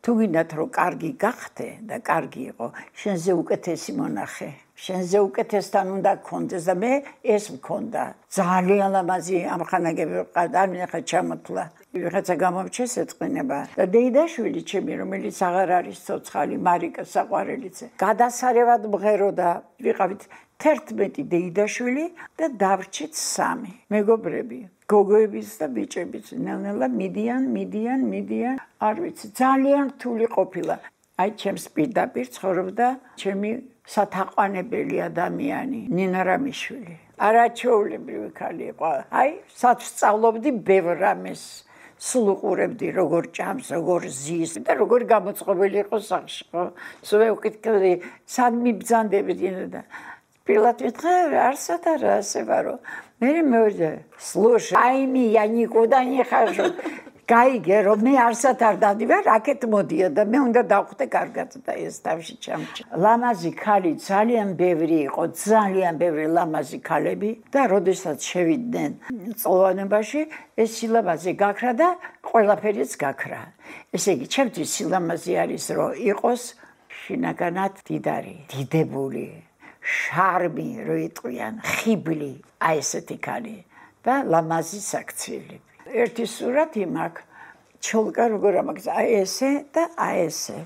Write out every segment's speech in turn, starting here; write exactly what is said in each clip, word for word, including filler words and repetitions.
თუ გინდათ რომ კარგი გახდე და კარგი იყო, შენზე უკეთესი მონახე. შენზე უკეთესთან უნდა გქონდეს და მე ეს მქონდა. ძალიან ლამაზი ამხანაგები ვიყავდა, არ მინახა ჩამოთვლა. ვიღაცა გამომჩეს ეწყინება. და დეიდაშვილი ჩემი, რომელიც აღარ არის ცოცხალი, მარიკა საყვარელიძე. გადასარევად მღეროდა, ვიყავით თერთმეტი დეიდაშვილი და დავრჩით სამი. მეგობრები, გოგოებიც და ბიჭებიც, ნელ-ნელა მიდიან, მიდიან, მიდიან, არ ვიცი, ძალიან რთული ყოფილა. აი ჩემს პირდაპირ ცხოვრობდა ჩემი სათაყვანებელი ადამიანი, ნინა რამიშვილი. არაჩვეულებრივი ქალი იყო. აი, საცსწავლობდი ბევრ რამეს. სულ უყურებდი როგორ ჭამს, როგორ ზის და როგორ გამოწყობილი იყო სახში, ხო? სულ ვუკითხავდი, სად მიბრძანდებოდი და Пилот витхай, арсатара, севаро. Мери мёрзе. Слушай, айми, я никуда не хожу. Кайге, робми арсатар дадива, ракет модия, да მე უნდა დავხვდე კარგად და ეს თავში ჩამჭა. ლამაზი ქალი ძალიან ბევრი იყო, ძალიან ბევრი ლამაზი ქალები და როდესაც შევიდნენ წლოვანებაში, ეს სილამაზე გაქრა და ყველაფერიც გაქრა. ესე იგი, ჩემთვის სილამაზე არის, რომ იყოს შინაგანად დიდარი, დიდებული. შარმი რო იტყვიან, ხიბლი, აი ესეთი ქალი და ლამაზი საქციელი. ერთი სურათი მაქვს, ჩოლკა როგორ ამაგზა, აი ესე და აი ესე.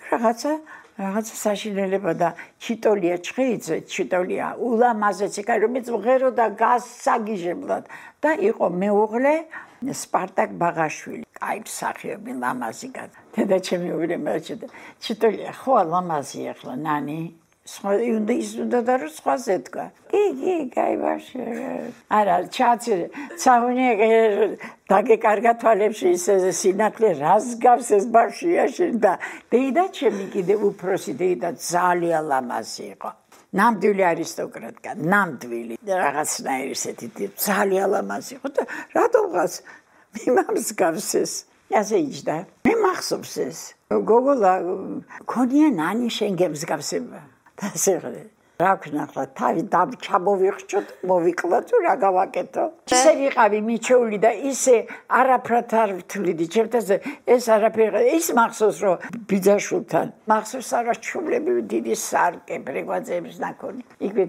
რაღაცა, რაღაცა საშინელება და ჩიტოლია ჩხეიძე, ჩიტოლია ულამაზესი ქალი, რომელიც მღეროდა გასაგიჟებლად და იყო მეუღლე სპარტაკ ბაღაშვილი. აი მსახიობი ლამაზი კაცი. დედაჩემი უბრალოდ ჩიტოლია ხო ლამაზი ახლა ნანი უნდა ის უნდა და რომ სხვაზე დგა. კი, კი, კაი ბავშვი. არა, ჩაცი, ცაღუნია დაგეკარგა თვალებში ისე სინათლე, რას გავს ეს ბავშვია შენ და დეიდა ჩემი კიდე უფროსი დეიდა ძალიან ლამაზი იყო. ნამდვილი არისტოკრატკა, ნამდვილი. რაღაცნაირი ესეთი ძალიან ლამაზი იყო და რატომღაც მიმამს გავს ეს. ასე იჯდა. მე მახსოვს ეს. გოგოლა ქონია ნანი შენ გემსგავსება. და სიღრმე რა ქნახლა თავი ჩამოვიხჭოთ მოვიკლა თუ რა გავაკეთო ისე ვიყავი მიჩეული და ისე არაფრად არ ვთვლიდი ჩემთაზე ეს არაფერი ის მახსოვს რომ ბიძაშვილთან მახსოვს არაჩვეულებრივი დიდი სარკე ბრეგვაძეების ნაკონი იქვე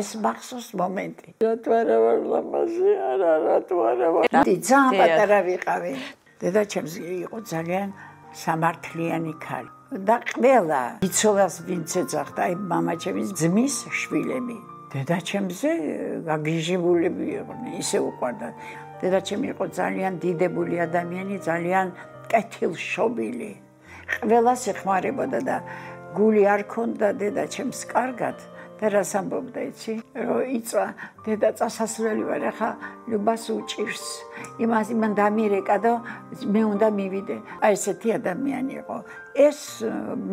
ეს მახსოვს მომენტი რატო არა ვარ ლამაზი არა რატო არა ვარ ძალიან პატარა ვიყავი დედაჩემს იყო ძალიან სამართლიანი ქალი და ყველა იცოლას ვინც ეძახდა აი მამაჩემის ძმის შვილები დედაჩემზე გაგიჟებულები იყვნენ ისე უყვარდა დედაჩემი იყო ძალიან დიდებული ადამიანი ძალიან კეთილშობილი ყველას ეხმარებოდა და გული არ ქონდა დედაჩემს კარგად და რას ამბობდა იცი რომ იწვა დედა წასასვლელი ვარ ახლა ლუბას უჭირს იმას იმან დამირეკა და მე უნდა მივიდე აი ესეთი ადამიანი იყო ეს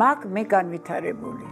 მაგ მე განვითარებული